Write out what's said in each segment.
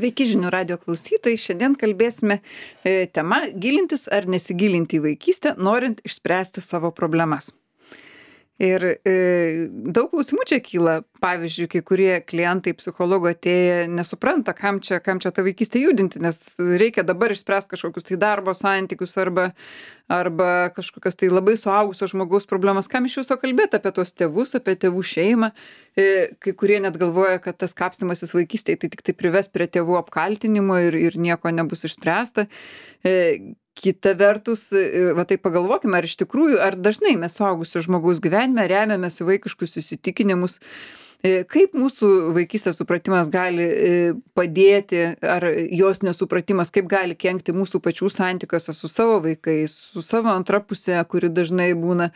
Sveiki žinių radio klausytojai. Šiandien kalbėsime tema gilintis ar nesigilinti į vaikystę, norint išspręsti savo problemas. Ir daug klausimų čia kyla. Pavyzdžiui, kai kurie klientai psichologo atėję nesupranta, kam čia tą vaikystę judinti, nes reikia dabar išspręsti kažkokius tai darbo santykius arba kažkokias tai labai suaugusio žmogaus problemas. Kam iš viso kalbėti apie tuos tėvus, apie tėvų šeimą. Kai kurie net galvoja, kad tas kapstymasis vaikystėje tai tik tai prives prie tėvų apkaltinimo ir nieko nebus išspręsta. Kita vertus, va tai pagalvokime, ar iš tikrųjų, ar dažnai mes suaugusio žmogaus gyvenime remiamės į vaikiškus įsitikinimus, kaip mūsų vaikystės supratimas gali padėti, ar jos nesupratimas, kaip gali kenkti mūsų pačių santykiuose su savo vaikais, su savo antra pusė, kuri dažnai būna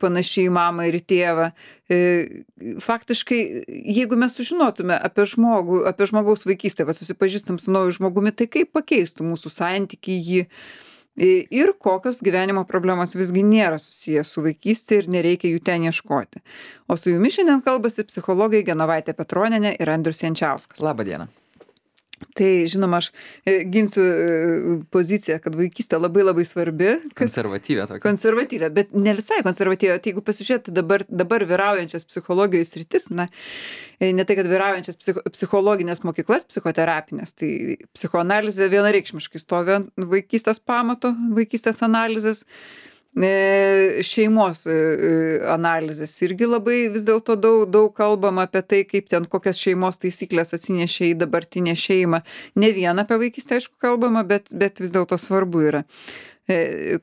panašiai į mamą ir į tėvą. Faktiškai, jeigu mes sužinotume apie žmogaus vaikystę, susipažįstam su nauju žmogumi, tai kaip pakeistų mūsų santykį jį ir kokios gyvenimo problemos visgi nėra susijęs su vaikystė ir nereikia jų ten ieškoti. O su jumis šiandien kalbasi psichologai Genovaitė Petronienė ir Andrius Jančiauskas. Labą dieną. Tai, žinoma, aš ginsiu poziciją, kad vaikystė labai labai svarbi. Konservatyvė tokia. Konservatyvė, bet ne visai konservatyvė. Tai jeigu pasižiūrėti dabar vyraujančias psichologijos sritis, ne tai, kad vyraujančias psichologinės mokyklas, psichoterapinės, tai psichoanalizė vienareikšmiškai stovi ant vaikystės pamato, vaikystės analizės. Šeimos analizės irgi labai vis dėlto daug kalbama apie tai, kaip ten kokias šeimos taisyklės atsinešė į dabartinę šeimą. Ne vien apie vaikystę, aišku, kalbama, bet vis dėlto svarbu yra.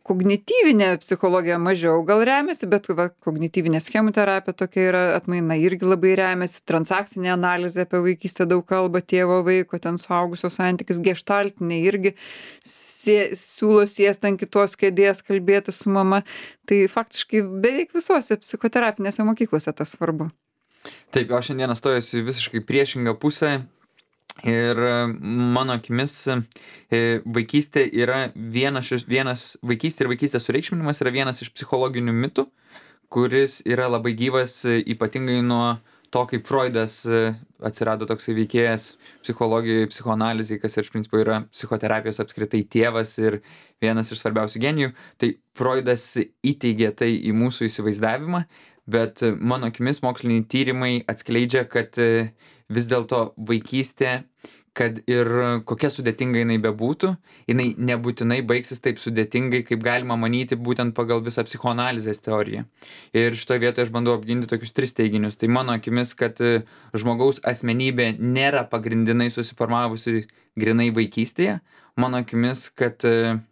Kognityvinė psichologija mažiau gal remiasi, bet kognityvinė schemų terapija tokia yra atmaina irgi labai remiasi. Transakcinė analizė apie vaikystę daug kalba, tėvo vaiko, ten suaugusio santykis, geštaltinė irgi siūlo sėsti ant kitos kėdės, kalbėti su mama. Tai faktiškai beveik visose psichoterapinėse mokyklose tas svarbu. Taip, aš šiandieną stojusi visiškai priešingą pusę. Ir mano akimis vaikystė yra vaikystė ir vaikystės sureikšminimas yra vienas iš psichologinių mitų, kuris yra labai gyvas ypatingai nuo to, kaip Freudas atsirado toksai veikėjas psichologijoje, psichoanalizėje, kas iš principo yra psichoterapijos apskritai tėvas ir vienas iš svarbiausių genijų. Tai Freudas įteigė tai į mūsų įsivaizdavimą, bet mano akimis moksliniai tyrimai atskleidžia, kad vis dėlto vaikystė, kad ir kokia sudėtinga jinai bebūtų, jinai nebūtinai baigsis taip sudėtingai, kaip galima manyti būtent pagal visą psichoanalizės teoriją. Ir šitoje vietoje aš bandau apginti tokius 3 teiginius. Tai mano akimis, kad žmogaus asmenybė nėra pagrindinai susiformavusi grinai vaikystėje. Mano akimis, kad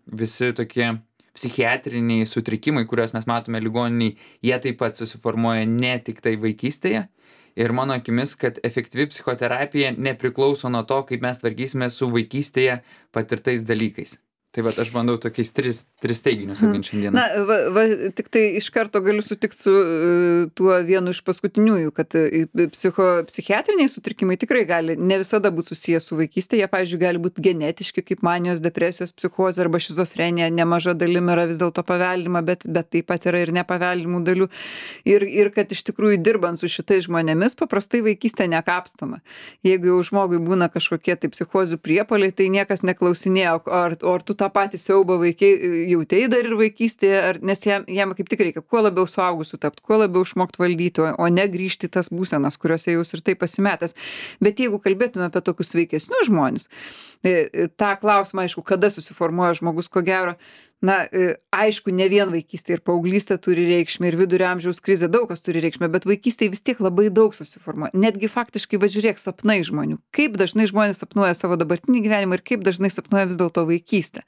visi tokie psichiatriniai sutrikimai, kuriuos mes matome ligoniniai, jie taip pat susiformuoja ne tik tai vaikystėje. Ir mano akimis, kad efektyvi psichoterapija nepriklauso nuo to, kaip mes tvarkysime su vaikystėje patirtais dalykais. Tai va, aš bandau tokiais 3 teiginius apginti šiandieną. Na, tik tai iš karto galiu sutikti su tuo vienu iš paskutiniųjų, kad psichiatriniai sutrikimai tikrai gali ne visada būti susiję su vaikystė. Jie, pavyzdžiui, gali būti genetiški, kaip manijos, depresijos, psichozė arba šizofrenija. Nemaža dalim yra vis dėlto paveldima, bet taip pat yra ir nepaveldimų dalių. Ir kad iš tikrųjų dirbant su šitais žmonėmis, paprastai vaikystė nekapstoma. Jeigu jau žmogui būna kažkokie tai psichozių priepuoliai, tai niekas neklausinėjo, ar tu tą patį siaubą jautei dar ir vaikystėje, nes jam kaip tik reikia kuo labiau suaugusiu tapti, kuo labiau išmokti valdyti, o ne grįžti į tas būsenas, kuriuose jūs ir taip pasimetęs. Bet jeigu kalbėtume apie tokius sveikesnius žmones, tą klausimą, aišku, kada susiformuoja žmogus, ko gero, aišku, ne vien vaikystė ir paauglystė turi reikšmę ir vidurio amžiaus krizė daug kas turi reikšmę, bet vaikystėje vis tiek labai daug susiformuoja. Netgi faktiškai, žiūrėk, sapnai žmonių. Kaip dažnai žmonės sapnuoja savo dabartinį gyvenimą ir kaip dažnai sapnuoja vis dėlto vaikystę.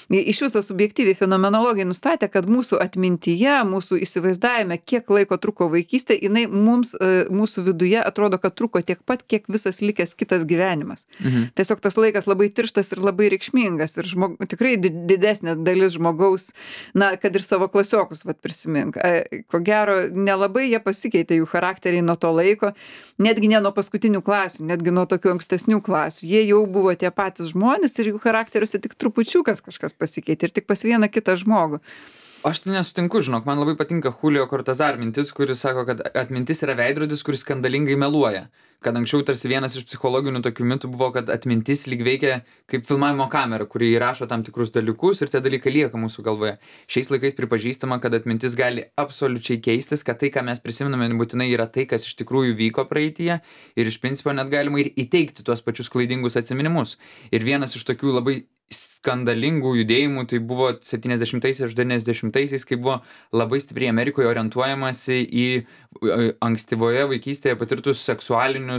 Iš viso subjektyviai fenomenologai nustatė, kad mūsų atmintyje, mūsų įsivaizdavime, kiek laiko truko vaikystė, jinai mums, mūsų viduje atrodo, kad truko tiek pat, kiek visas likęs kitas gyvenimas. Tiesiog tas laikas labai tirštas ir labai reikšmingas ir tikrai didesnė dalis žmogaus, kad ir savo klasiokus prisimink. Ko gero, nelabai jie pasikeitė jų charakteriai nuo to laiko, netgi ne nuo paskutinių klasių, netgi nuo tokių ankstesnių klasių. Jie jau buvo tie patys žmonės ir jų charakteriuose tik trupučiukas kažkas pasikeitė ir tik pas vieną kitą žmogų. Aš tai nesutinku, žinok, man labai patinka Julio Cortázar mintis, kuris sako, kad atmintis yra veidrodis, kuris skandalingai meluoja. kad anksčiau tarsi vienas iš psichologinių tokių mitų buvo, kad atmintis lyg veikia kaip filmavimo kamera, kuri įrašo tam tikrus dalykus ir tie dalykai lieka mūsų galvoje. Šiais laikais pripažįstama, kad atmintis gali absoliučiai keistis, kad tai, ką mes prisimename, nebūtinai yra tai, kas iš tikrųjų vyko praeityje ir iš principo net galima ir įteikti tuos pačius klaidingus atsiminimus. Ir vienas iš tokių labai skandalingų judėjimų tai buvo 70-aisiais, 90-aisiais, kai buvo labai stipriai Amerikoje orientuojamasi į ankstyvoje vaikystėje patirtus seksualinę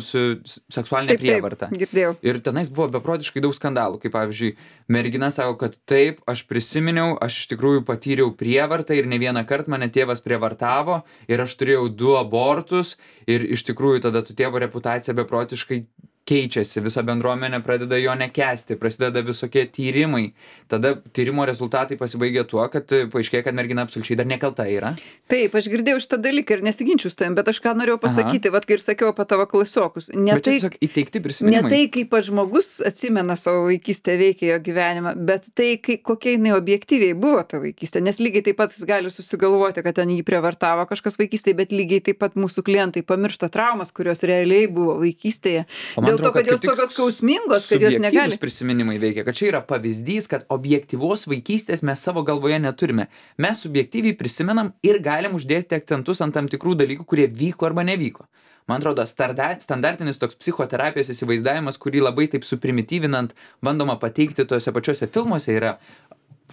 prievartą. Girdėjau. Ir tenais buvo beprotiškai daug skandalų, kaip pavyzdžiui, mergina sako, kad taip, aš prisiminiau, aš iš tikrųjų patyriau prievartą ir ne vieną kartą mane tėvas prievartavo ir aš turėjau 2 abortus ir iš tikrųjų tada tu tėvo reputacija beprotiškai keičiasi, visa bendruomenė pradeda jo nekęsti, prasideda visokie tyrimai. Tada tyrimo rezultatai pasibaigia tuo, kad paaiškėja, kad mergina absoliučiai dar nekalta yra. Taip, aš girdėjau šitą dalyką ir nesiginčiu su tavim, bet aš ką norėjau pasakyti, vat kai ir sakiau apie tavo klasiokus. Bet čia tiesiog įteikti prisiminimai. Ne tai, kaip pats žmogus atsimena savo vaikystę, veikia jo gyvenimą, bet tai, kokia jinai objektyviai buvo ta vaikystė. Nes lygiai taip pat jis gali susigalvoti, kad ten jį prievartavo kažkas vaikystėje, bet lygiai taip pat mūsų klientai pamiršta traumas, kurios realiai buvo vaikystėje. Dėl to, kad jos tokios skausmingos, kad jos negali. Prisiminimai veikia, kad čia yra pavyzdys, kad objektyvos vaikystės mes savo galvoje neturime. Mes subjektyviai prisimenam ir galim uždėti akcentus ant tam tikrų dalykų, kurie vyko arba nevyko. Man atrodo, standartinis toks psichoterapijos įsivaizdavimas, kurį labai taip suprimityvinant bandoma pateikti tuose pačiuose filmuose, yra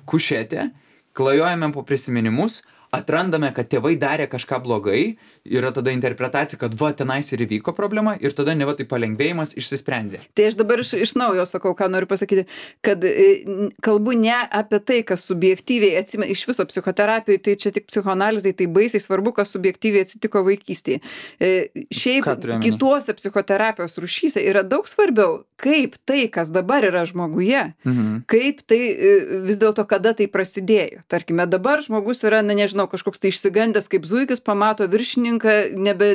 kušetė, klajojame po prisiminimus, atrandame, kad tėvai darė kažką blogai, yra tada interpretacija, kad va, tenais ir įvyko problema ir tada neva tai palengvėjimas išsisprendė. Tai aš dabar iš naujo sakau, ką noriu pasakyti, kad kalbu ne apie tai, kas subjektyviai atsimena, iš viso psichoterapijoje, tai čia tik psichoanalizai, tai baisiai svarbu, kas subjektyviai atsitiko vaikystėje. Šiaip kituose psichoterapijos rūšyse yra daug svarbiau, kaip tai, kas dabar yra žmoguje, kaip tai vis dėlto kada tai prasidėjo. Tarkime, dabar žmogus yra, nežinau, kažkoks tai išsigandęs kaip zuikis, pamato viršininką,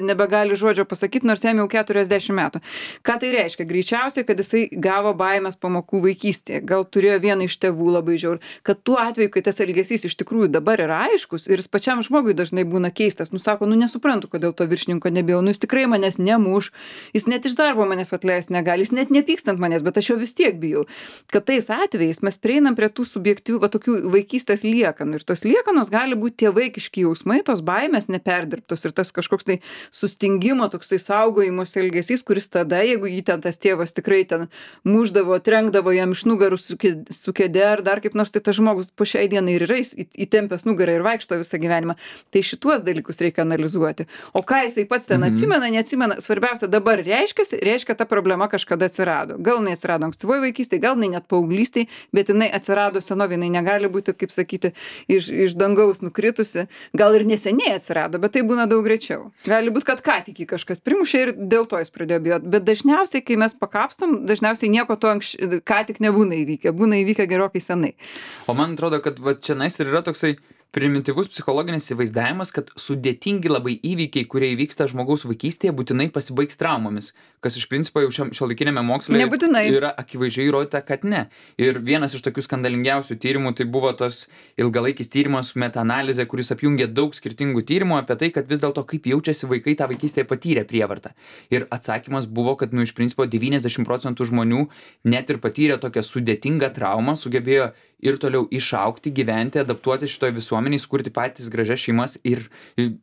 nebegali žodžio pasakyti, nors jam jau 40 metų. Ką tai reiškia? Greičiausiai, kad jisai gavo baimės pamokų vaikystėje, gal turėjo vieną iš tėvų labai žiaur, kad tuo atveju, kai tas elgesys iš tikrųjų dabar yra aiškus ir jis pačiam žmogui dažnai būna keistas, sako, nesuprantu, kodėl to viršininko nebijau, jis tikrai manęs nemuš, jis net iš darbo manęs atleisti negali, jis net nepyksta ant manęs, bet aš jo vis tiek bijau. Kad tais atvejais mes prieinam prie tų subjektyvių, tokių vaikystės liekanų ir tos liekanos gali būti tie vaikiški jausmai, tos baimės neperdirbtos ir tas kažkoks tai sustingimo, toksai saugojimos elgesys, kuris tada, jeigu jį ten tas tėvas tikrai ten muždavo, trenkdavo jam iš nugarų su kėde ar dar kaip nors, tai tas žmogus po šiai dienai ir yra įtempęs nugarą ir vaikšto visą gyvenimą. Tai šituos dalykus reikia analizuoti. O ką jisai pats ten atsimena, neatsimena, svarbiausia dabar reiškia ta problema kažkada atsirado. Gal jinai atsirado ankstyvoje vaikystėje, gal jinai net paauglystėje, bet jinai atsirado senovėje, jinai negali būti, kaip sakyti, iš dangaus nukritusi. Gal ir neseniai atsirado, bet tai būna daug greičiau. Gali būti, kad ką tik kažkas primušė ir dėl to jis pradėjo bijoti. Bet dažniausiai, kai mes pakapstom, dažniausiai nieko to ką tik nebūna įvykę. Būna įvykę gerokai senai. O man atrodo, kad va čia nais ir yra toksai primityvus psichologinis įsivaizdavimas, kad sudėtingi labai įvykiai, kurie įvyksta žmogaus vaikystėje, būtinai pasibaigs traumomis, kas iš principo jau šiuolaikinėme moksle yra akivaizdžiai įrodyta, kad ne. Ir vienas iš tokių skandalingiausių tyrimų tai buvo tos ilgalaikis tyrimas metaanalizė, kuris apjungė daug skirtingų tyrimų apie tai, kad vis dėlto kaip jaučiasi vaikai tą vaikystėje patyrę prievartą. Ir atsakymas buvo, kad iš principo 90% žmonių net ir patyrę tokią sudėtingą traumą sugebėjo ir toliau išaugti, gyventi, adaptuoti šitoje visuomenėje, skurti patys gražias šeimas ir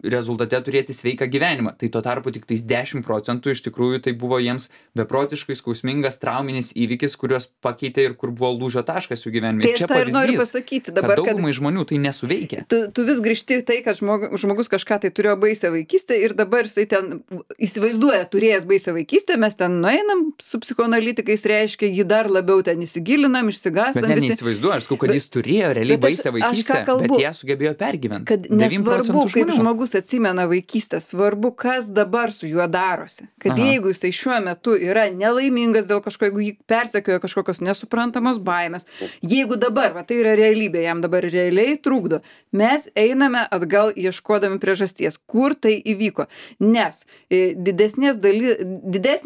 rezultate turėti sveiką gyvenimą. Tai tuo tarpu tik 10% iš tikrųjų tai buvo jiems beprotiškai skausmingas trauminis įvykis, kuriuos pakeitė ir kur buvo lūžio taškas jų gyvenime. Tai aš tą ir noriu pasakyti dabar, kad daugumai žmonių tai nesuveikia. Tu vis grįžti tai, kad žmogus kažką tai turėjo baisią vaikystę ir dabar jisai ten įsivaizduoja turėjęs baisią vaikystę, mes ten nueinam su psichoanalitikais, reiškia, jį dar labiau ten įsigilinam, išsigastam. Bet neįsivaizduoju, kad jis turėjo realiai baisią vaikystę, bet ją sugebėjo pergyventi. Kad nesvarbu, kaip žmogus atsimena vaikystę, svarbu, kas dabar su juo darosi. Kad jeigu jisai šiuo metu yra nelaimingas dėl kažko, jeigu jį persekioja kažkokios nesuprantamos baimės, jeigu dabar, va tai yra realybė, jam dabar realiai trukdo, mes einame atgal ieškodami priežasties, kur tai įvyko. Nes didesnė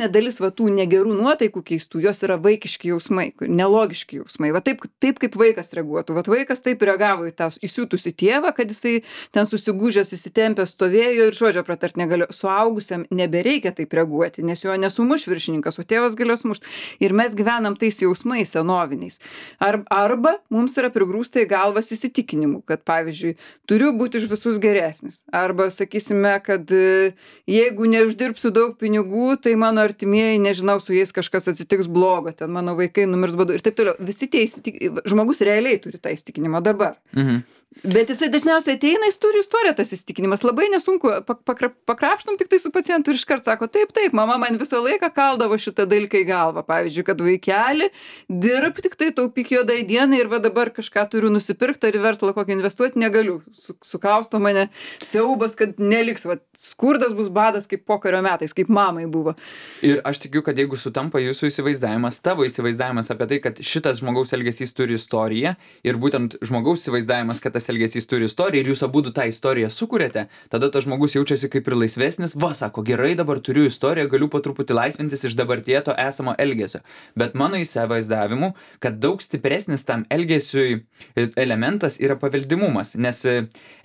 dalis va tų negerų nuotaikų keistų, jos yra vaikiški jausmai, nelogiški jausmai. Va taip kaip vaikas reaguotų. Vat vaikas taip reagavo į tą įsiutusį susirgusį tėvą, kad jisai ten susigūžęs įsitempęs stovėjo ir žodžio pratart negalėjo. Suaugusiam nebereikia taip reaguoti, nes jo nesumuš viršininkas, o tėvas galėjo sumušt. Ir mes gyvenam tais jausmais senoviniais. Arba mums yra prigrūsta į galvas įsitikinimų, kad pavyzdžiui, turiu būti už visus geresnis. Arba sakysime, kad jeigu neuždirbsiu daug pinigų, tai mano artimieji, nežinau, su jais kažkas atsitiks blogo, ten mano vaikai numirs badu ir taip toliau. Visi tie žmogus realiai turi tą įsitikinimą dabar. Bet jisai dažniausiai ateina, jis turi istoriją tas įsitikinimas. Labai nesunku, pakrapštom tik tai su pacientu ir iškart sako, taip, mama man visą laiką kaldavo šitą dalyką į galvą. Pavyzdžiui, kad vaikeli, dirb tik tai taupyk juodai dienai ir va dabar kažką turiu nusipirkti ar į verslą kokį investuoti, negaliu. Sukausto mane siaubas, kad neliks, va, skurdas bus badas kaip pokario metais, kaip mamai buvo. Ir aš tikiu, kad jeigu sutampa jūsų įsivaizdavimas, tavo įsivaizdavimas apie tai, kad šitas žmogaus elgesys turi istoriją ir būtent žmogaus įsivaizdavimas, kad tas elgesys turi istoriją ir jūs abudu tą istoriją sukuriate, tada tas žmogus jaučiasi kaip ir laisvesnis, va, sako, gerai, dabar turiu istoriją, galiu po truputį laisvintis iš dabarties to esamo elgesio. Bet mano įsivaizdavimu, kad daug stipresnis tam elgesiui elementas yra paveldimumas, nes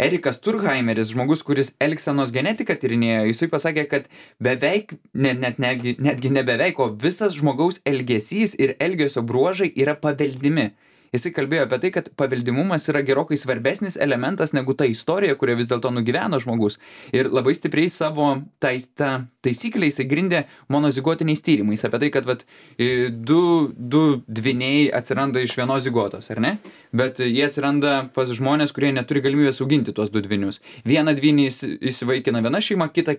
Erikas Turkheimeris, žmogus, kuris elgsenos genetiką tyrinėjo, jisai pasakė, kad beveik, netgi ne beveik, o visas žmogaus elgesys ir elgesio bruožai yra paveldimi. Jisai kalbėjo apie tai, kad paveldimumas yra gerokai svarbesnis elementas negu ta istorija, kurią vis dėlto nugyveno žmogus. Ir labai stipriai savo taisyklę jisai grindė monozigotiniais tyrimais. Apie tai, kad vat, du dvyniai atsiranda iš vienos zigotos, ar ne? Bet jie atsiranda pas žmonės, kurie neturi galimybės auginti tuos du dvynius. Vieną dvynį įsivaikina viena šeima, kita.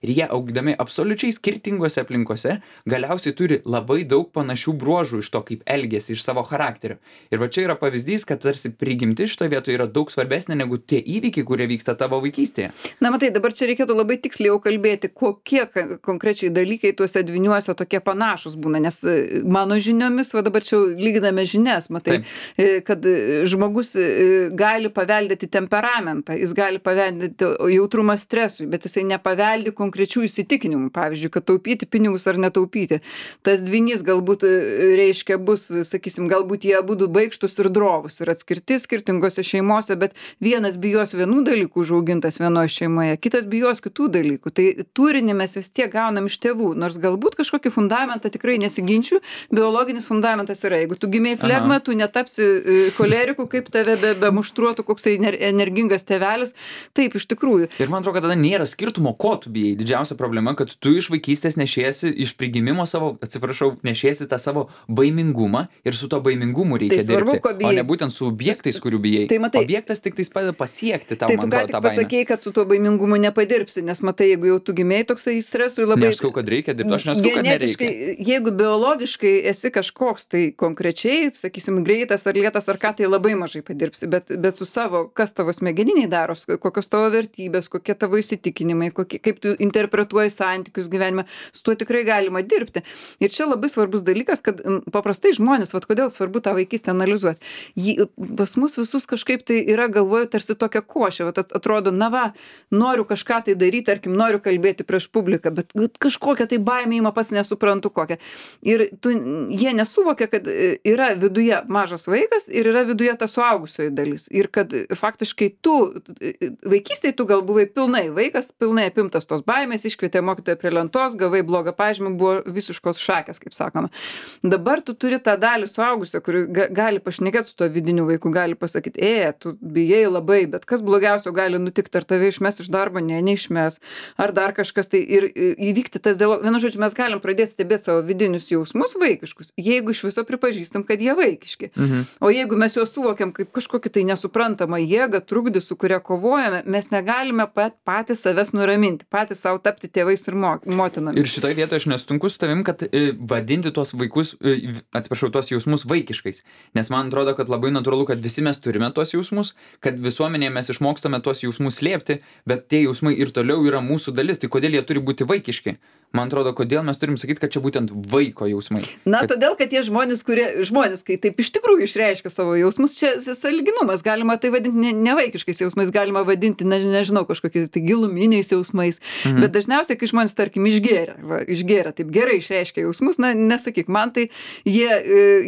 Ir jie augdami absoliučiai skirtingose aplinkose galiausiai turi labai daug panašių bruožų iš to, kaip elgiasi, iš savo charakterio. Ir va čia yra pavyzdys, kad tarsi prigimti šitoje vietoje yra daug svarbesnė negu tie įvykiai, kurie vyksta tavo vaikystėje. Na matai, dabar čia reikėtų labai tiksliai jau kalbėti, kokie konkrečiai dalykai tuose dvyniuose tokie panašus būna, nes mano žiniomis, va dabar čia lyginame žinias, matai, kad žmogus gali paveldėti temperamentą, jis gali paveldėti jautrumą stresui, bet jisai nepaveldi konkrečių įsitikinimų, pavyzdžiui, kad taupyti pinigus ar netaupyti. Tas dvynys galbūt reiškia bus, sakysim, galbūt jie abudu baikštus ir drovus ir atskirti skirtingose šeimose, bet vienas bijos vienų dalykų užaugintas vienoje šeimoje, kitas bijos kitų dalykų. Tai turinį mes vis tiek gaunam iš tėvų, nors galbūt kažkokį fundamentą tikrai nesiginčiu, biologinis fundamentas yra. Jeigu tu gimei flegma, tu netapsi koleriku, kaip tave bemuštruotų koksai energingas tėvelis. Taip, iš tikrųjų. Ir man atrodo, kad tada nėra skirtumo, ko tu bijai. Didžiausia problema, kad tu iš vaikystės nešiesi, iš prigimimo savo, nešiesi tą savo baimingumą ir su to baimingumu reikia svarbu, dirbti, o ne būtent su objektais, kurių bijai. Tai matai, objektas tik tais padeda pasiekti tau, tai tu ką tik pasakei, kad su tuo baimingumu nepadirbsi, nes matai, jeigu jau tu gimėjai toksai stresui labai... Nesakau, kad reikia dirbti, aš nesakau, kad nereikia. Jeigu biologiškai esi kažkoks, tai konkrečiai, sakysim, greitas ar lėtas ar ką, tai labai mažai padirbsi, bet su savo, kas tavo smegeniniai daro, kokios tavo vertybės, kokie tavo įsitikinimai, kaip tu interpretuoji santykius gyvenime, su tuo tikrai galima dirbti. Ir čia labai svarbus dalykas, kad paprastai žmonės, vat kodėl svarbu tą vaikystę analizuoti. Pas mus visus kažkaip tai yra galvoju tarsi tokia košė, vat atrodo, na va, noriu kažką tai daryti, tarkim, noriu kalbėti prieš publiką, bet kažkokia tai baimė ima, pats nesuprantu kokią. Ir jie nesuvokia, kad yra viduje mažas vaikas ir yra viduje ta suaugusioji dalis. Ir kad faktiškai vaikystėje tu gal buvai pilnai vaikas, pilnai apimtas tos baimės, iškvietė mokytoją prie lentos, gavai blogą pažymį, buvo visiškos šakės, kaip sakoma. Dabar tu turi tą dalį suaugusio, kuri gali pašnekėti su tuo vidiniu vaiku, gali pasakyti, tu bijai labai, bet kas blogiausio gali nutikti, ar tave išmes iš darbo, neišmes, ar dar kažkas tai ir įvykti tas dialogas. Vienu žodžiu, mes galim pradėti stebėti savo vidinius jausmus vaikiškus, jeigu iš viso pripažįstam, kad jie vaikiški. O jeigu mes juos suvokiam kaip kažkokį tai nesuprantamą jėgą, trukdį, su kuria kovojame, mes negalime patys savęs nuraminti, patys savo tapti tėvais ir motinomis. Ir šitoje vietoje aš nesutinku su tavim, kad vadinti tuos vaikus, tuos jausmus vaikiškais. Nes man atrodo, kad labai natūralu, kad visi mes turime tuos jausmus, kad visuomenėje mes išmokstame tuos jausmus slėpti, bet tie jausmai ir toliau yra mūsų dalis. Tai kodėl jie turi būti vaikiški? Man atrodo, kodėl mes turim sakyti, kad čia būtent vaiko jausmai. Na, todėl, kad tie žmonės, kai taip iš tikrųjų išreiškia savo jausmus, čia sąlyginumas, galima tai vadinti ne vaikiškais jausmais, galima vadinti, nežinau, kažkokiais tai giluminiais jausmais, bet dažniausiai, kai žmonės, tarkim, išgėrė, taip gerai išreiškia jausmus, na, nesakyk, man tai jie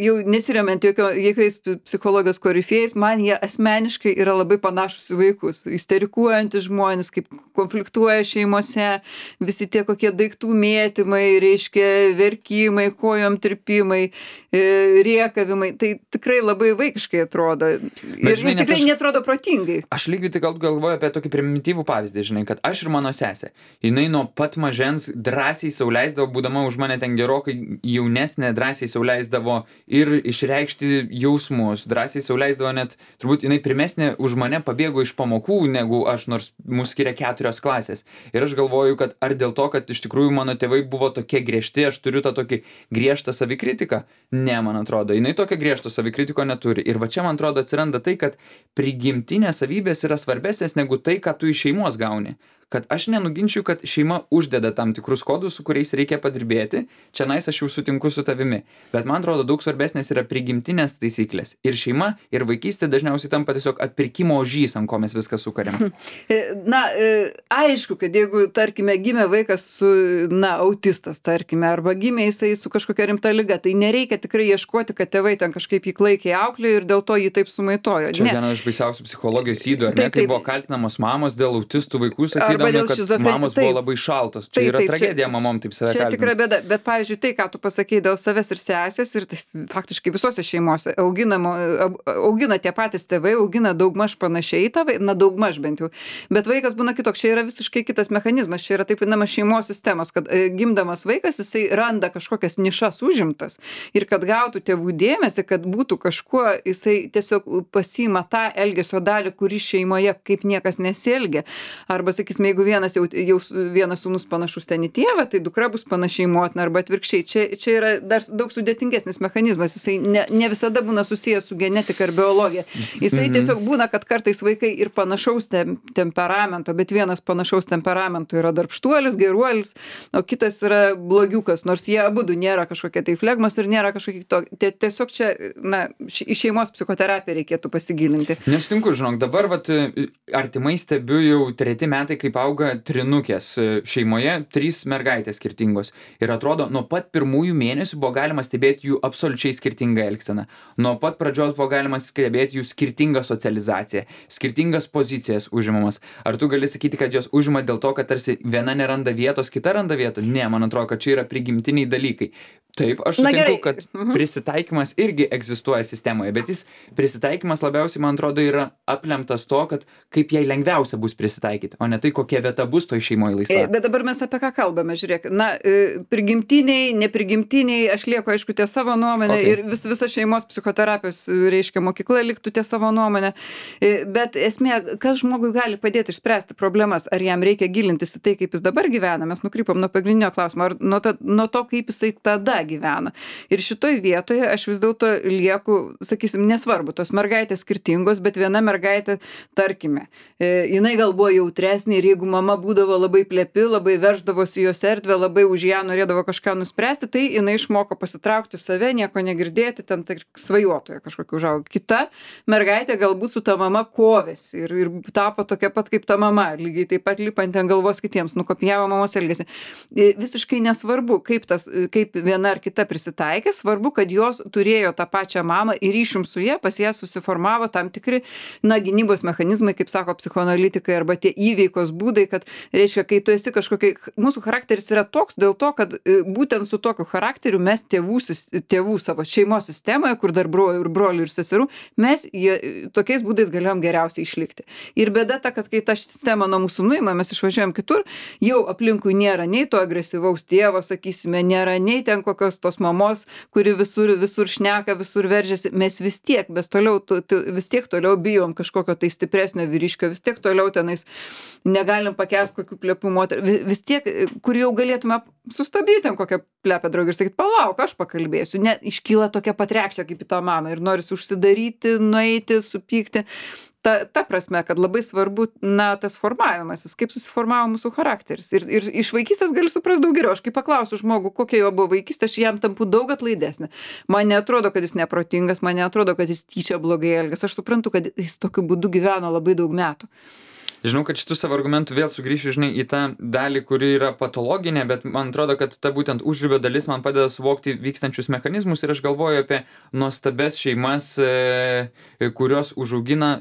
jau nesiremiant jokiais psichologijos korifėjais, man jie asmeniškai yra labai panašus į vaikus, isterikuojantys žmonės, kaip konfliktuoja šeimose, visi tie kokie daiktų mėtymai, reiškia verkimai, kojom tirpimai, riekavimai, tai tikrai labai vaikiškai atrodo. Ir tikrai netrodo protingai. Aš lygiai tai galvoju apie tokį primityvų pavyzdį, žinai, kad aš ir mano sesė, jinai nuo pat mažens drąsiai sau leisdavo, būdama už mane ten gerokai jaunesnė, drąsiai sau leisdavo ir išreikšti jausmus, drąsiai sau leisdavo net, turbūt jinai pirmesnė už mane pabėgo iš pamokų, negu aš, nors mus skiria 4 klasės. Ir aš galvoju, kad ar dėl to, kad iš tikrųjų mano tėvai buvo tokie griežti, aš turiu tą tokį griežtą savikritiką? Ne, man atrodo, jinai tokio griežto savikritiko neturi. Ir va čia, man atrodo, atsiranda tai, kad prigimtinės savybės yra svarbesnės negu tai, ką tu iš šeimos gauni. Kad aš nenuginčiu, kad šeima uždeda tam tikrus kodus, su kuriais reikia padirbėti. Čia nais aš jau sutinku su tavimi. Bet man atrodo, daug svarbesnės yra prigimtinės taisyklės. Ir šeima, ir vaikystė dažniausiai tampa tiesiog atpirkimo ožys, ant ko mes viską sukariam. Na, aišku, kad jeigu, tarkime, gimė vaikas su, autistas, tarkime, arba gimė jisai su kažkokia rimta liga, tai nereikia tikrai ieškoti, kad tėvai ten kažkaip jį klaikiai auklėjo ir dėl to jį taip sumaitojo. Čia viena iš baisiausių psichologijos ydų, ar ne, kai buvo kaltinamos mamos dėl autistų vaikų, sakydami, kad mamos buvo labai šaltos. Čia yra tragedija mamom taip save kalbinti. Čia tikra bėda, bet pavyzdžiui, tai, ką tu pasakei dėl savęs ir sesės, ir tai faktiškai visose šeimose augina tie patys tėvai, augina daugmaž panašiai tėvai, daugmaž bent jau. Bet vaikas būna kitoks, čia yra visiškai kitas mechanizmas, čia yra taip vadinamas šeimos sistemos, kad gimdamas vaikas, jisai randa kažkokias nišas užimtas ir kad gautų tėvų dėmesį, kad būtų kažkuo, jisai tiesiog pasiima tą elgesio dalį, kuri šeimoje kaip niekas nesielgia. Arba, sakysime, jeigu vienas sūnus panašus ten į tėvą, tai dukra bus panašiai į motiną arba atvirkščiai. Čia yra dar daug sudėtingesnis mechanizmas, jisai ne visada būna susijęs su genetika ir biologija. Jisai tiesiog būna, kad kartais vaikai ir panašaus temperamento, bet vienas panašaus temperamento yra darbštuolis, geruolis, o kitas yra blogiukas, nors jie abudu nėra kažkokie tai flegmas ir nėra kažkokie kitokie. Tiesiog čia, į šeimos psicoterapiją reikėtų pasigilinti. Nesutinku, žinok, dabar artimai stebiu jau 3 metai, kaip auga trinukės šeimoje, 3 mergaitės skirtingos. Ir atrodo, nuo pat pirmųjų mėnesių buvo galima stebėti jų absoliučiai skirtingą elgseną. Nuo pat pradžios buvo galima stebėti jų skirtingą socializaciją, skirtingas pozicijas užimamas. Ar tu gali sakyti, kad jos užima dėl to, kad tarsi viena neranda vietos, kita randa vietų? Ne, man atrodo, kad čia yra prigimtiniai dalykai. Taip, aš sutinku, kad prisitaikymas irgi egzistuoja sistemoje, bet prisitaikymas labiausiai, man atrodo, yra aplemtas to, kad kaip jai lengviausia bus prisitaikyti, o ne tai, kokia vieta bus toj šeimoje laisva. Bet dabar mes apie ką kalbame, žiūrėk. Prigimtiniai, neprigimtiniai, aš lieku, aišku, ties savo nuomonę ir visa šeimos psichoterapijos, reiškia, mokykla liktų ties savo nuomonę. Bet esmė, kas žmogui gali padėti išspręsti problemas, ar jam reikia gilintis į tai, kaip jis dabar gyvena, mes nukrypom nuo pagrindinio klausimo, ar nuo to, kaip jisai tada gyvena. Ir šitoj vietoje aš vis dėlto lieku, sakysim, nesvarbu, tos mergaitės skirtingos, bet viena mergaitė, tarkime, jinai gal buvo jautresnė ir jeigu mama būdavo labai plepi, labai verždavosi jos erdvę, labai už ją norėdavo kažką nuspręsti, tai jinai išmoko pasitraukti save, nieko negirdėti, ten svajotoje kažkokiu užaugo. Kita mergaitė galbūt su ta mama kovėsi ir tapo tokia pat kaip ta mama, lygiai taip pat lipant ant galvos kitiems, nukopijavo mamos elgesį. Visiškai nesvarbu, kaip viena ar kita prisitaikė, svarbu, kad jos turėjo tą pačią mamą ir ryšium su ja, pas ją susiformavo tam tikri, gynybos mechanizmai, kaip sako psichoanalitikai, arba tie įveikos būdai, kad, reiškia, kai tu esi mūsų charakteris yra toks dėl to, kad būtent su tokiu charakteriu mes tėvų savo šeimos sistemoje, kur dar brolių ir seserų, mes tokiais būdais galėjom geriausiai išlikti. Ir bėda ta, kad kai ta sistema nuo mūsų nuima, mes išvažiuojam kitur, jau aplinkui nėra nei to agresyvaus tėvo, sakysime, nėra nei ten kokios tos mamos, kuri visur šneka, visur veržiasi, mes vis tiek toliau bijom kažkokio tai stipresnio vyriškio, vis tiek toliau tenais negalim pakęsti kokių plepų moterų, vis tiek, kur jau galėtume sustabdyti ten kokią plepę draugį ir sakyti, palauk, aš pakalbėsiu, ne, iškyla tokia pat reakcija kaip į tą mamą ir norisi užsidaryti, nueiti, supykti. ta prasme, kad labai svarbu, tas formavimasis, kaip susiformavo mūsų charakteris. Ir iš vaikystės gali suprasti daug geriau. Aš kai paklausiu žmogų, kokia jo buvo vaikystė, aš jam tampu daug atlaidesnė. Man neatrodo, kad jis neprotingas, man neatrodo, kad jis tyčia blogai elgiasi. Aš suprantu, kad jis tokiu būdu gyveno labai daug metų. Žinau, kad šitų savo argumentų vėl sugrįšiu, žinai, į tą dalį, kuri yra patologinė, bet man atrodo, kad ta būtent užribio dalis man padeda suvokti vykstančius mechanizmus ir aš galvoju apie nuostabes šeimas, kurios užaugina,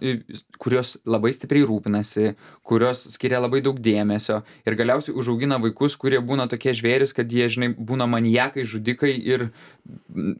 kurios labai stipriai rūpinasi, kurios skiria labai daug dėmesio ir galiausiai užaugina vaikus, kurie būna tokie žvėris, kad jie, žinai, būna maniakai, žudikai ir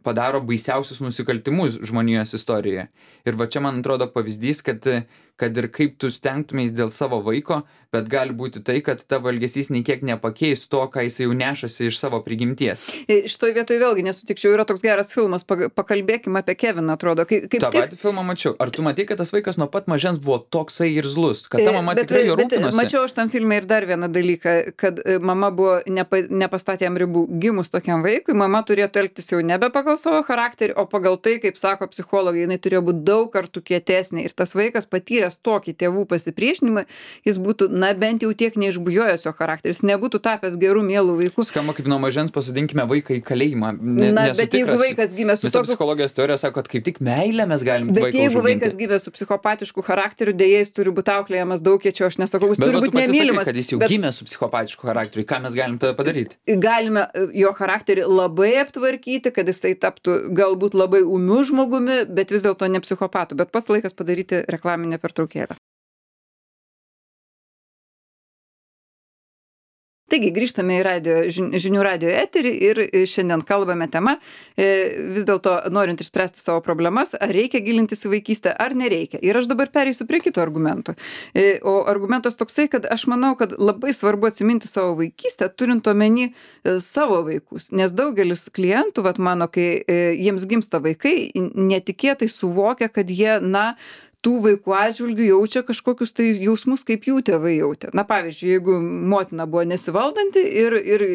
padaro baisiausius nusikaltimus žmonijos istorijoje. Ir va čia man atrodo pavyzdys, kad ir kaip tu stengtumės dėl savo vaiko, bet gali būti tai, kad tavo elgesys nei kiek nepakeis to, ką jis jau nešasi iš savo prigimties. Šitoj vietoj vėlgi nesutikčiau, yra toks geras filmas, pakalbėkime apie Keviną, atrodo. Ta patį filmą mačiau. Ar tu matei, kad tas vaikas nuo pat mažens buvo toksai irzlus, kad ta mama tikrai jo rūpinosi? Mačiau aš tam filme ir dar vieną dalyką, kad mama buvo nepastatė jam ribų. Gimus tokiam vaikui, mama turėtų elgtis jau nebe pagal savo charakterį, o pagal tai, kaip sako psichologai, jinai turėjo būti daug kartų kietesnė. Ir tas vaikas patyręs tokį tėvų pasipriešinimą, jis būtų, bent jau tiek neišbujojęs jo charakteris, nebūtų tapęs gerų mielų vaikų. Skamba kaip nuo mažens pasodinkime vaiką į kalėjimą. Bet jeigu vaikas gimė su tokiu... psichologijos teorija sako, kad kaip tik meilę mes galim vaiką užauginti. Bet jeigu vaikas gimė su psichopatišku charakteriu, dėja jis turi būti auklėjamas daug kiečiau, aš nesakau, jis turi būti nemylimas. Kad jis jau gimė su psichopatišku charakteriu, ką mes galim tada padaryti? Galime jo charakterį labai aptvarkyti, kad jisai taptų galbūt labai ūmiu žmogumi, bet vis dėlto ne psichopatu. Bet pats laikas padaryti reklaminę pertraukėlę. Taigi, grįžtame į žinių radijo eterį ir šiandien kalbame tema, vis dėlto norint išspręsti savo problemas, ar reikia gilintis į vaikystę, ar nereikia. Ir aš dabar pereisiu prie kito argumento. O argumentas toksai, kad aš manau, kad labai svarbu atsiminti savo vaikystę, turint omeny savo vaikus. Nes daugelis klientų, mano, kai jiems gimsta vaikai, netikėtai suvokia, kad jie, tų vaikų atžvilgių jaučia kažkokius tai jausmus, kaip jų tėvai jautė. Pavyzdžiui, jeigu motina buvo nesivaldanti ir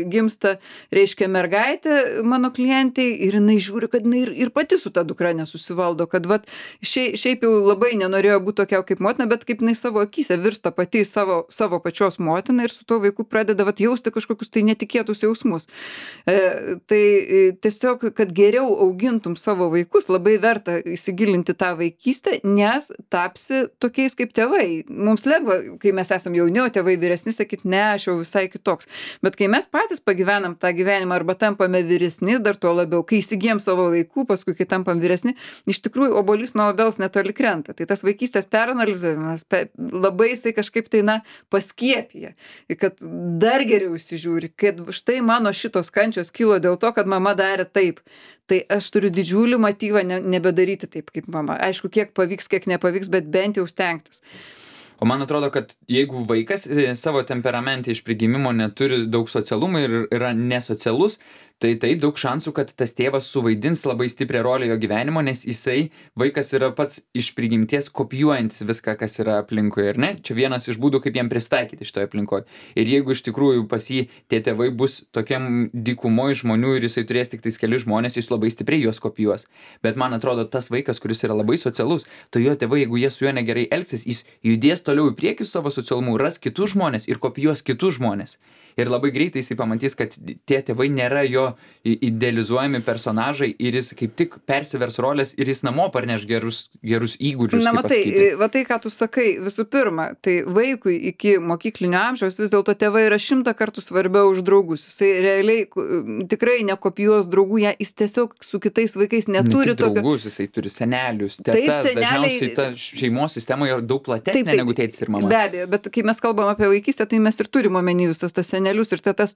gimsta, reiškia, mergaitė mano klientai ir jinai žiūri, kad jinai ir pati su ta dukra nesusivaldo, kad šiaip jau labai nenorėjo būti tokia kaip motina, bet kaip jinai savo akyse virsta pati savo pačios motina ir su tuo vaiku pradeda jausti kažkokius tai netikėtus jausmus. Tai tiesiog, kad geriau augintum savo vaikus, labai verta įsigilinti tą vaikystę, nes tapsi tokiais kaip tėvai. Mums lengva, kai mes esam jauni, o tėvai vyresni, sakyti, ne, aš jau visai kitoks. Bet kai mes patys pagyvenam tą gyvenimą arba tampame vyresni, dar tuo labiau, kai įsigijam savo vaikų, paskui kai tampam vyresni, iš tikrųjų obuolys nuo obels netoli krenta. Tai tas vaikystės peranalizavimas labai jisai kažkaip tai, paskiepija, kad dar geriau įsižiūri, kad štai mano šitos kančios kilo dėl to, kad mama darė taip. Tai aš turiu didžiulį motyvą nebedaryti taip kaip mama. Aišku, kiek pavyks, kiek nepavyks, bet bent jau stengtis. O man atrodo, kad jeigu vaikas savo temperamente iš prigimimo neturi daug socialumo ir yra nesocialus, tai taip daug šansų, kad tas tėvas suvaidins labai stiprią rolę jo gyvenimo, nes vaikas yra pats iš prigimties kopijuojantis viską, kas yra aplinkoje, ir ne? Čia vienas iš būdų, kaip jam pristaikyti šitoje aplinkoje. Ir jeigu iš tikrųjų pas jį tie tėvai bus tokiam dykumoje žmonių ir jisai turės tik tais keli žmonės, jis labai stipriai juos kopijuos. Bet man atrodo, tas vaikas, kuris yra labai socialus, tai jo tėvai, jeigu jie su juo negerai elgsis, jis judės toliau į priekį su savo socialumu, ras kitus žmonės ir kopijuos kitus žmonės. Ir labai greitai jisai pamatys, kad tie tėvai nėra jo idealizuojami personažai ir jis kaip tik persivers rolės ir jis namo parneš gerus įgūdžius. Tai, ką tu sakai, visų pirma, tai vaikui iki mokyklinio amžiaus vis dėlto tėvai yra 100 kartų svarbiau už draugus. Jisai realiai tikrai nekopijuos draugų, jis tiesiog su kitais vaikais neturi tokio. Draugus, jisai turi senelius, tetas, dažniausiai ta šeimos sistema yra daug platesnė negu tėtis ir mama. Be abejo, bet kai mes kalbam apie vaikystę, tai mes ir turime omeny visas tas senelius ir tetas,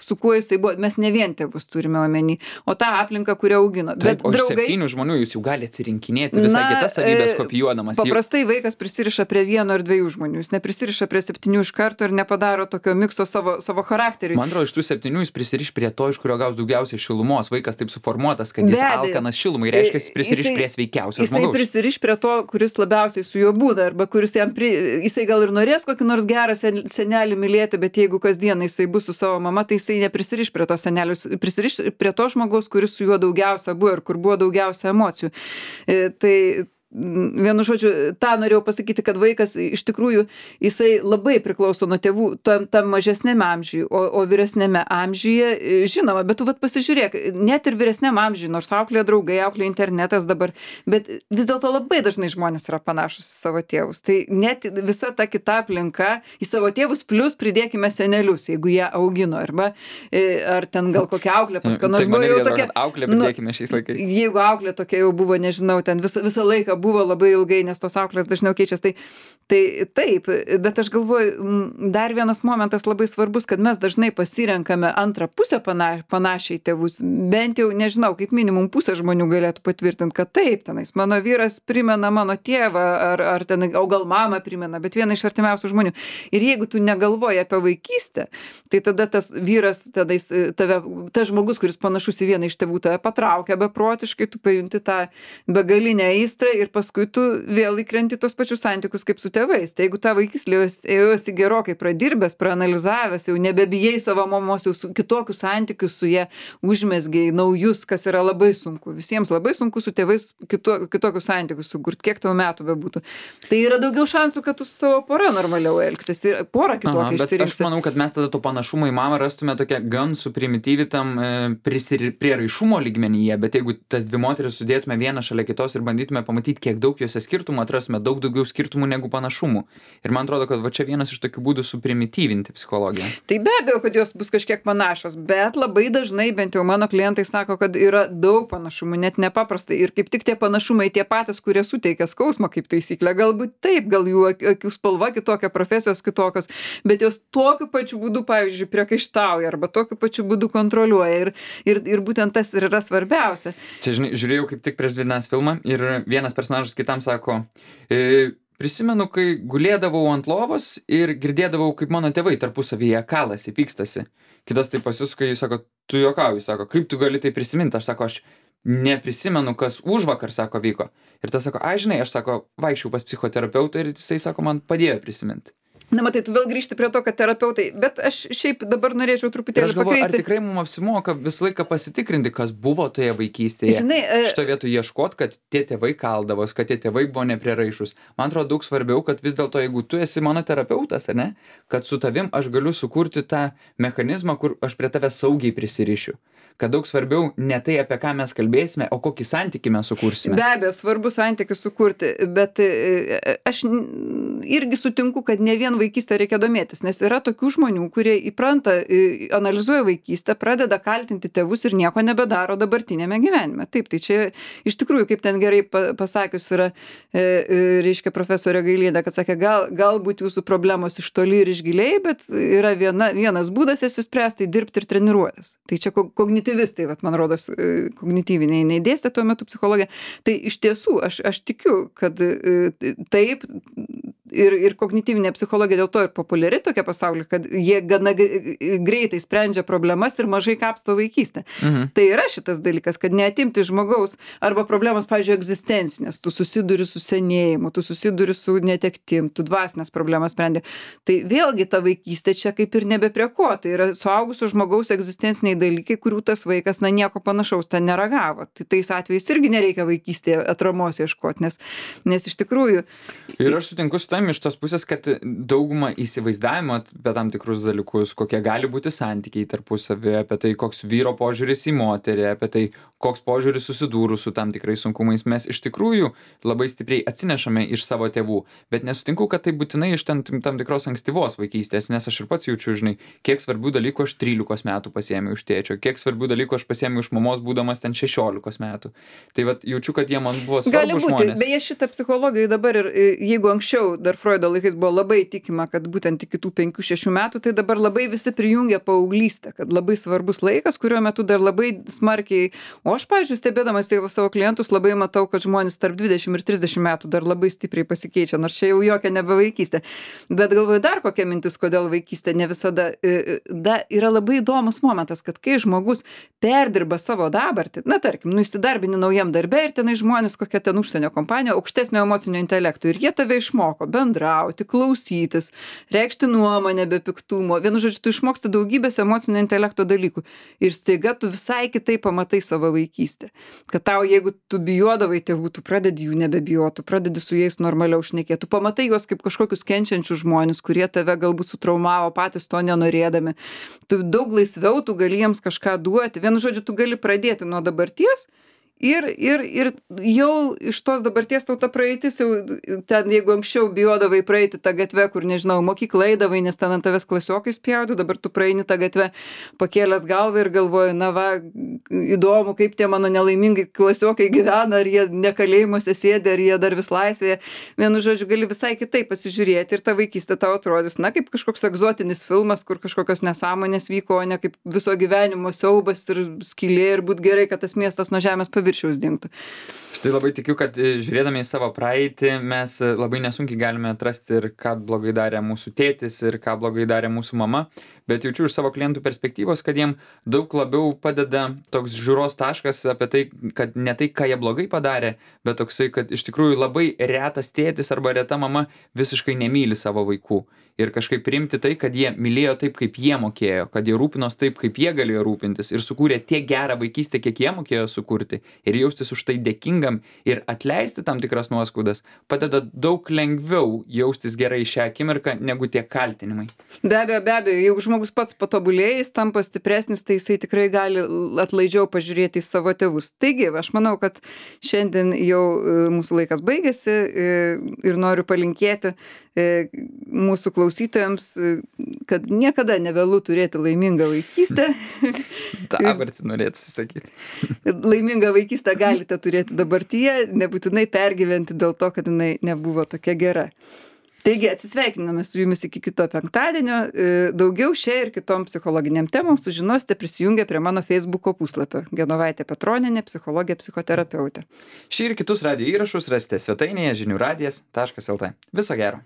su kuo jisai buvo, mes ne vien tėvus turime omeny, o tą aplinką, kurią augino. Taip, bet draugai, 7 žmonių jūs jau gali atsirinkinėti visai kitas savybės kopijuodamas. Paprastai vaikas prisiriša prie 1 ar 2 žmonių, jis neprisiriša prie 7 iš karto ir nepadaro tokio mikso savo charakteriui. Man atrodo, iš tų 7 jis prisiriš prie to, iš kurio gaus daugiausiai šilumos. Vaikas taip suformuotas, kad jis alkanas šilumai, reiškia, jis prisiriš prie sveikiausio žmogaus. Jisai prisiriš prie to, kuris labiausiai su juo būda, arba kuris jisai gal ir norės kokį nors gerą senelį mylėti, bet jeigu kasdien jisai bus su savo mama, tai jisai neprisiriš prie to senelius, prisiriš prie to žmogaus, kuris su juo daugiausia buvo ir kur buvo daugiausia emocijų. Tai vienu žodžiu, tą norėjau pasakyti, kad vaikas iš tikrųjų, jisai labai priklauso nuo tėvų tam mažesnėme amžiuje, o vyresnėme amžiuje, žinoma, bet tu vat pasižiūrėk, net ir vyresnėme amžiuje, nors auklėja draugai, auklėja internetas dabar, bet vis dėlto labai dažnai žmonės yra panašus į savo tėvus. Tai net visa ta kita aplinka į savo tėvus, plus pridėkime senelius, jeigu jie augino, arba ar ten gal kokia auklė pas ką nors Tai buvo man jau irgi tokia. atrodo, kad auklė pridėkime šiais laikais. Jeigu auklė tokia jau buvo, nežinau, ten visą laiką buvo labai ilgai, nes tos auklės dažniau keičiasi, tai taip, bet aš galvoju, dar vienas momentas labai svarbus, kad mes dažnai pasirenkame antrą pusę panašiai tėvus, bent jau, nežinau, kaip minimum pusė žmonių galėtų patvirtinti, kad taip, tenais mano vyras primena mano tėvą, ar ten, o gal mama primena, bet vieną iš artimiausių žmonių. Ir jeigu tu negalvoji apie vaikystę, tai tada tas vyras, tas žmogus, kuris panašus į vieną iš tėvų, tave patraukia beprotiškai, tu pajunti tą begalinę aistrą ir paskui tu vėl įkrenti tos pačius santykius kaip su tėvais. Tai jeigu ta vaikystė ėjosi gerokai pradirbęs, praanalizavęs, jau nebebijai savo mamos, jau kitokius santykius su jie užmesgiai, naujus, kas yra labai sunku. Visiems labai sunku su tėvais kitokius santykius sukurti, kiek tau metų bebūtų. Tai yra daugiau šansų, kad tu su savo pora normaliau elgsis ir porą kitokią išsirinksi. Aš manau, kad mes tada to panašumo į mamą rastume tokia gan suprimityvitam prieraišumo lygmenyje, bet jeigu tas dvi moteris sudėtume vieną šalia kitos ir bandytume pamatyti, kiek daug juose skirtumų, atrastume daug daugiau skirtumų negu panašumų. Ir man atrodo, kad va čia vienas iš tokių būdų suprimityvinti psichologiją. Tai be abejo, kad jos bus kažkiek panašios, bet labai dažnai, bent jau mano klientai sako, kad yra daug panašumų, net nepaprastai. Ir kaip tik tie panašumai tie patys, kurie suteikia skausmą kaip taisyklė. Galbūt taip, gal jų akių spalva kitokia, profesijos kitokios, bet jos tokiu pačiu būdu, pavyzdžiui, priekaištauja arba tokiu pačiu būdu kontroliuoja. Ir būtent tas ir yra svarbiausia. Čia, žinai, žiūrėjau kaip tik prieš 2 dienas filmą ir vienas personažas kitam sako, prisimenu, kai gulėdavau ant lovos ir girdėdavau, kaip mano tėvai tarpusavyje kalasi, pykstasi. Kitas tai pasisuka, jis sako, tu juokauji, sako, kaip tu gali tai prisiminti? Aš sako, aš neprisimenu, kas užvakar, sako, vyko. Ir tas sako, žinai, aš sako, vaikščiau pas psichoterapeutą ir jisai sako, man padėjo prisiminti. Na, matai, tu vėl grįžti prie to, kad terapeutai, bet aš šiaip dabar norėčiau truputėlį pakeisti. Ar tikrai mums apsimoka visą laiką pasitikrinti, kas buvo toje vaikystėje? Žinai, šitoje vietoje ieškot, kad tie tėvai kaldavos, kad tie tėvai buvo neprieraišūs. Man atrodo daug svarbiau, kad vis dėlto, jeigu tu esi mano terapeutas, ne, kad su tavim aš galiu sukurti tą mechanizmą, kur aš prie tave saugiai prisirišiu. Kad daug svarbiau ne tai, apie ką mes kalbėsime, o kokį santykį mes sukursime. Be abejo, svarbu santykį sukurti, bet aš irgi sutinku, kad ne vien vaikystę reikia domėtis, nes yra tokių žmonių, kurie įpranta, analizuoja vaikystę, pradeda kaltinti tėvus ir nieko nebedaro dabartinėme gyvenime. Taip, tai čia iš tikrųjų, kaip ten gerai pasakius yra, reiškia profesorė Gailienė, kad sakė, galbūt jūsų problemos iš toli ir iš giliai, bet yra vienas būdas jas išspręsti, dirbti ir treniruotis. Tai čia kognityvistai, man rodos, kognityviniai neįdėstė tuo metu psichologija. Tai iš tiesų, aš tikiu, kad taip, ir kognityvinė psichologija dėl to ir populiari tokia pasaulyje, kad jie gana greitai sprendžia problemas ir mažai kapsto vaikystę. Tai yra šitas dalykas, kad neatimti žmogaus arba problemas, pavyzdžiui, egzistencinės, tu susiduri su senėjimu, tu susiduri su netektim, tu dvasinės problemas sprendi. Tai vėlgi ta vaikystė čia kaip ir nebe prie ko, tai yra suaugusio žmogaus egzistenciniai dalykai, kurių tas vaikas, nieko panašaus ten neragavo. Tai tais atvejais irgi nereikia vaikystėje atramos ieškoti, nes iš tikrųjų. Ir aš sutinku su tam iš tos pusės, kad dauguma įsivaizdavimo apie tam tikrus dalykus, kokie gali būti santykiai tarpusavy, apie tai, koks vyro požiūris į moterį, apie tai, koks požiūris susidūrus su tam tikrais sunkumais, mes iš tikrųjų labai stipriai atsinešame iš savo tėvų. Bet nesutinku, kad tai būtinai iš tam tikros ankstyvos vaikystės, nes aš ir pats jaučiu, žinai, kiek svarbių dalykų aš 13 metų pasiėmiau iš tėčio, kiek svarbių dalykų aš pasiėmiau iš mamos būdamas ten 16 metų. Tai jaučiu, kad jie man buvo svarbus žmonės. Beje, šitą psichologiją dabar ir jeigu anksčiau dar Freudo laikais buvo labai tikima, kad būtent iki tų 5-6 metų, tai dabar labai visi prijungia paauglystę, kad labai svarbus laikas, kuriuo metu dar labai smarkiai, o aš, pavyzdžiui, stebėdamas savo klientus, labai matau, kad žmonės tarp 20 ir 30 metų dar labai stipriai pasikeičia, nors čia jau jokia nebe vaikystė. Bet galvoju, dar kokia mintis, kodėl vaikystė ne visada, yra labai įdomus momentas, kad kai žmogus perdirba savo dabartį, tarkim, įsidarbini naujam darbe ir tenai žmonės, kokia ten užsienio kompanija, aukštesnio emocinio intelekto ir jie tave išmoko, bendrauti, klausytis, reikšti nuomonę be piktumo. Vienu žodžiu, tu išmoksti daugybės emocinio intelekto dalykų. Ir staiga tu visai kitaip pamatai savo vaikystę. Kad tau, jeigu tu bijodavai tėvų, tu pradedi jų nebebijoti, tu pradedi su jais normaliau šnekėti. Tu pamatai juos kaip kažkokius kenčiančius žmonės, kurie tave galbūt sutraumavo patys to nenorėdami. Tu daug laisviau, tu gali jiems kažką duoti. Vienu žodžiu, tu gali pradėti nuo dabarties ir jau iš tos dabarties tau ta praeitis jau ten, jeigu anksčiau bijodavai praeiti tą gatvę, kur, nežinau, mokyklą eidavai, nes ten ant tavęs klasiokai spjautų, dabar tu praeini tą gatvę pakėlęs galvą ir galvoji, na va, įdomu, kaip tie mano nelaimingai klasiokai gyvena, ar jie ne kalėjimuose sėdi, ar jie dar vis laisvėje. Vienu žodžiu, gali visai kitaip pasižiūrėti ir ta vaikystė tau atrodys, na, kaip kažkoks egzotinis filmas, kur kažkokios nesąmonės vyko, o ne kaip viso gyvenimo siaubas ir skylė ir būt gerai, kad tas miestas nuo žemės paviršiaus dingtų. Štai labai tikiu, kad žiūrėdami į savo praeitį mes labai nesunkiai galime atrasti ir ką blogai darė mūsų tėtis ir ką blogai darė mūsų mama, bet jaučiu iš savo klientų perspektyvos, kad jiem daug labiau padeda toks žiūros taškas apie tai, kad ne tai, ką jie blogai padarė, bet toksai, kad iš tikrųjų labai retas tėtis arba reta mama visiškai nemyli savo vaikų. Ir kažkaip priimti tai, kad jie mylėjo taip, kaip jie mokėjo, kad jie rūpinos taip, kaip jie galėjo rūpintis ir sukūrė tiek gerą vaikystę, kiek jie mokėjo sukurti ir jaustis už tai dėkingam ir atleisti tam tikras nuoskaudas padeda daug lengviau jaustis gerai šią akimirką negu tie kaltinimai. Be abejo, jeigu žmogus pats patobulėja, jis tampa stipresnis, tai jisai tikrai gali atlaidžiau pažiūrėti į savo tėvus. Taigi, aš manau, kad šiandien jau mūsų laikas baigėsi ir noriu palinkėti mūsų klausytojams, kad niekada nevėlu turėti laimingą vaikystę. Dabartį norėtų sakyti. Laimingą vaikystę galite turėti dabartyje, nebūtinai pergyventi dėl to, kad jinai nebuvo tokia gera. Taigi atsisveikiname su jumis iki kito penktadienio. Daugiau šia ir kitom psichologiniam temom sužinosite prisijungę prie mano Facebooko puslapio Genovaitė Petronienė, psichologė, psichoterapeutė. Šį ir kitus radijo įrašus rasite svetainėje žiniųradijas.lt. Viso gero.